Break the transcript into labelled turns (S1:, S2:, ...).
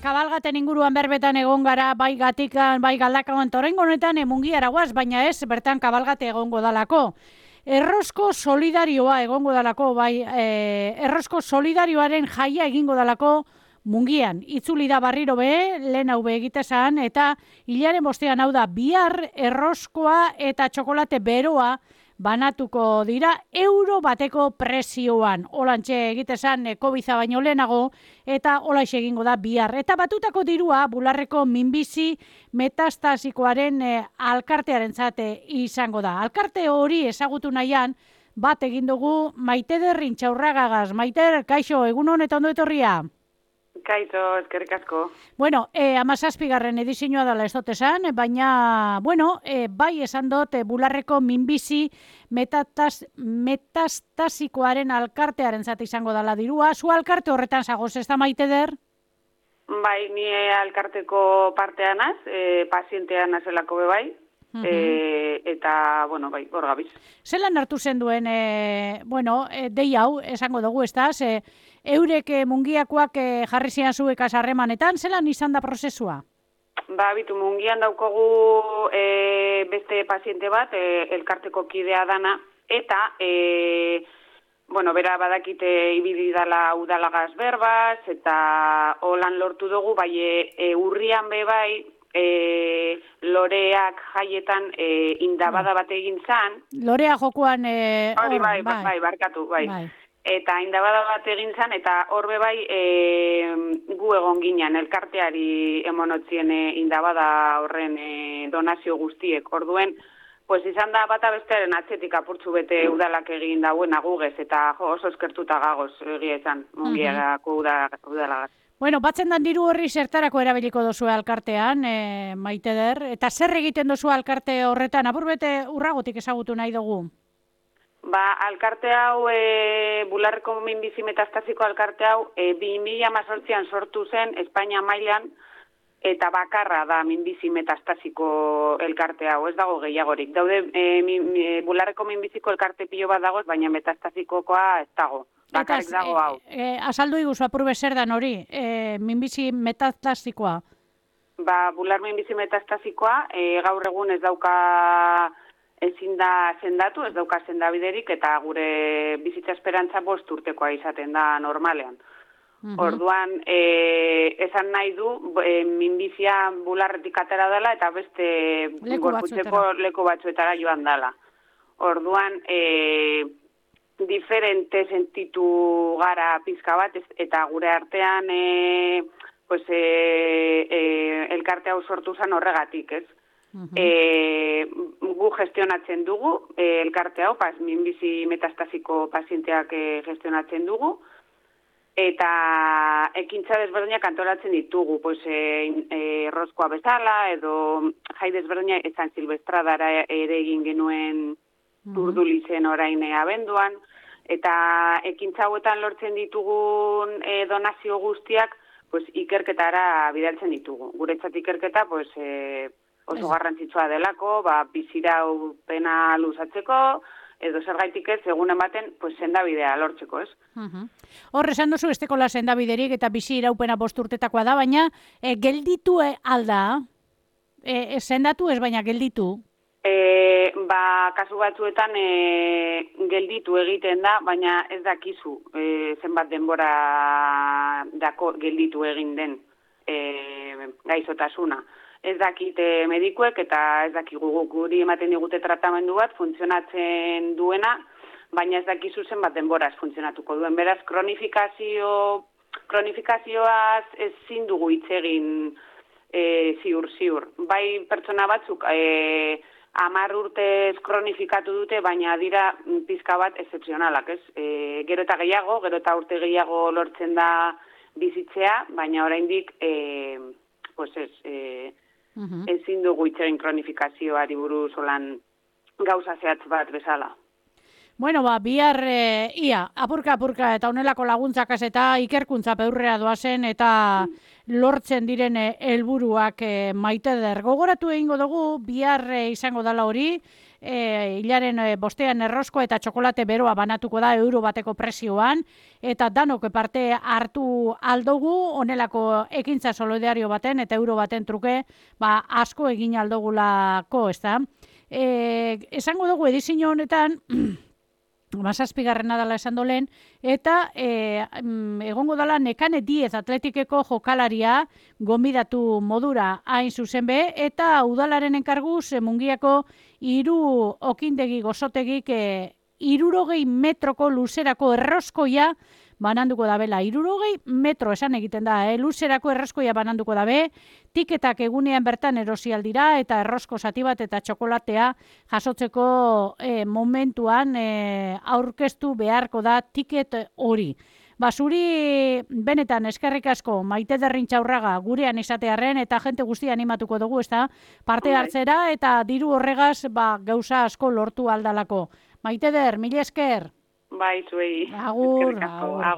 S1: kabalgaten inguruan berbetan egon gara, bai Gatikan, bai Galdakaoan, eta oraingo honetan Mungiara goaz, baina ez, bertan kabalgate egongo dalako. Errosko solidarioa egongo dalako, bai, errosko solidarioaren jaia egingo dalako Mungian. Itzuli da barriro be, lehen hau be egitezan, eta hilaren bostean hau da, bihar erroskoa eta txokolate beroa banatuko dira euro bateko prezioan. Olantxe egitezan COVID-a baino lehenago eta olaix egingo da bihar. Eta batutako dirua Bularreko minbizi metastasikoaren alkartearen zate izango da. Alkarte hori ezagutu nahian bat egin dugu Maiteder Intxaurragagaz. Maiter, kaixo, egun honetan ondo etorria?
S2: Kaito, eskerrik asko.
S1: Bueno, 17. edizioa dela ez dut esan, baina, bueno, bai esan dut Bularreko minbizi metastasikoaren alkartearen zate izango dela dirua. Zu alkarte horretan zagoz, ez da Maiteder?
S2: Bai, ni alkarteko partea naz, pazientea nazelako be bai, eta, bueno, bai, hor gabiz.
S1: Zelan hartu zen duen, dei hau, esango dugu, ez da, eurek Mungiakoak jarri zian zuekaz harremanetan, zelan izan da prozesua?
S2: Ba, bitu, Mungian daukogu beste paziente bat, elkarteko kidea dana, eta, bera badakite ibili dala udalagaz berbaz, eta holan lortu dugu, bai, urrian be bai, loreak jaietan indabada bat egin zan.
S1: Lorea jokoan...
S2: Bai, barkatu, bai. Eta indabada bat egin zan, eta horbe bai gu egon ginen, elkarteari emonotzien indabada horren donazio guztiek. Orduen, pues izan da bata bestearen atzetik apurtzu bete udalak egin dauen agugez, eta oso eskertuta gagoz egia izan, Mungiarako udalagaz.
S1: Bueno, batzen dan diru horri zertarako erabiliko dozu alkartean, Maiteder, eta zer egiten dozu alkarte horretan, apurbete urragotik ezagutu nahi dugu?
S2: Ba, alkarte hau, Bularreko minbizi metastasiko alkarte hau, 2018an sortu zen Espainia mailan, eta bakarra da minbizi metastasiko elkarte hau, ez dago gehiagorik. Daude, Bularreko minbiziko elkarte pilo bat dagoz, baina metastasikokoa ez dago. Bakarrik dago hau.
S1: Azaldu iguzu apurbe zer dan hori, minbizi metastasikoa?
S2: Ba, bular minbizi metastasikoa, gaur egun ez dauka ezin da sendatu, ez dauka sendabiderik, eta gure bizitza esperantza 5 urtekoa izaten da normalean. Orduan, esan nahi du, minbizia bularretik atera dela, eta beste gorputzeko leku batzuetara joan dela. Orduan, diferente sentitu gara pizka bat, eta gure artean elkarte hau sortu zen horregatik, ez? Gu gestionatzen dugu, elkarte hau, minbizi metastasiko pazienteak gestionatzen dugu, eta ekintza desberdinak antolatzen ditugu, errozkoa bezala, edo jai desberdinak San Silvestradara ere egin genuen Urdulizen orain abenduan, eta ekintza hauetan lortzen ditugun donazio guztiak ikerketara bidaltzen ditugu. Guretzat ikerketa oso garrantzitsua delako, bizirau pena luzatzeko, edo zergaitik ez, egunen baten, sendabidea lortzeko, ez?
S1: Hor, esan duzu, estekola sendabiderik eta bizi iraupena 5 urtetakoa da, baina gelditu alda, sendatu ez, baina gelditu?
S2: Kasu batzuetan gelditu egiten da, baina ez dakizu zenbat denbora dako gelditu egin den gaizotasuna. Ez dakite medikuek eta ez dakigu guri ematen digute tratamendu bat funtzionatzen duena, baina ez dakizu zenbat denboraz funtzionatuko duen. Beraz, kronifikazioaz ezin dugu hitz egin ziur. Bai pertsona batzuk 10 urtez kronifikatu dute, baina dira pizka bat excepzionalak, ez? Gero eta gehiago, gero eta urte gehiago lortzen da bizitzea, baina oraindik ezin dugu itxegin kronifikazioari buruz olan gauza zehatz bat bezala.
S1: Bueno, bihar apurka eta honelako laguntzakaz eta ikerkuntza peurrea doazen eta lortzen diren helburuak Maiteder. Gogoratu egingo dugu, bihar izango dala hori, hilaren bostean errosko eta txokolate beroa banatuko da euro bateko prezioan, eta danok parte hartu aldogu, onelako ekintza solidario baten eta euro baten truke, asko egin aldogulako, ez da? Esango dugu edizio honetan, Mazazpigarrena dela esan dolen, eta egongo dela Nekane Diez atletikeko jokalaria gonbidatu modura hain zuzen be, eta udalaren enkarguz Mungiako 3 okindegi gozotegik 60 metroko luzerako erroskoia bananduko dabela. 60 metro esan egiten da, luzerako erroskoia bananduko dabe, tiketak egunean bertan erosi aldira eta errosko zati bat eta txokolatea jasotzeko momentuan aurkeztu beharko da tiket hori. Zuri benetan eskerrik asko Maite Derrintxaurraga gurean izatearren eta jente guztia animatuko dugu, ezta? Parte hartzera eta diru horregaz gauza asko lortu aldalako. Maite Der, mila esker.
S2: Bai, zuei.
S1: Agur.
S2: Eskerrik asko. Agur.